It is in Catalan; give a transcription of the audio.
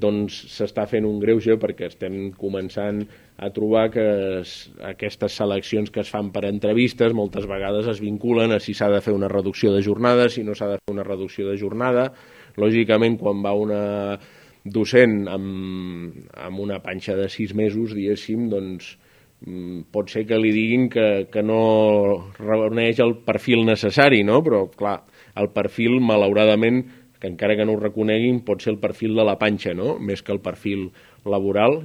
doncs s'està fent un greuge perquè estem començant a trobar que aquestes seleccions que es fan per entrevistes moltes vegades es vinculen a si s'ha de fer una reducció de jornada, si no s'ha de fer una reducció de jornada. Lògicament, quan va una docent amb una panxa de 6 mesos, diguéssim, doncs pot ser que li diguin que no reuneix el perfil necessari, no? Però, clar, el perfil, malauradament, que encara que no ho reconeguin, pot ser el perfil de la panxa, no? Més que el perfil laboral.